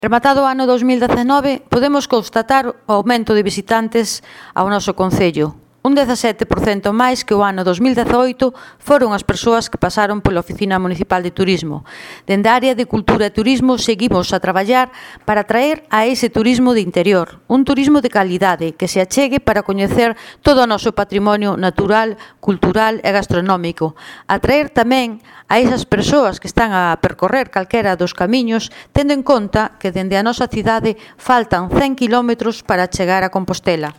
Rematado o ano 2019, podemos constatar o aumento de visitantes ao noso concello. Un 17% máis que o ano 2018 foron as persoas que pasaron pola Oficina Municipal de Turismo. Dende a área de Cultura e Turismo seguimos a traballar para atraer a ese turismo de interior, un turismo de calidade que se achegue para coñecer todo o noso patrimonio natural, cultural e gastronómico. Atraer tamén a esas persoas que están a percorrer calquera dos camiños, tendo en conta que dende a nosa cidade faltan 100 km para chegar a Compostela.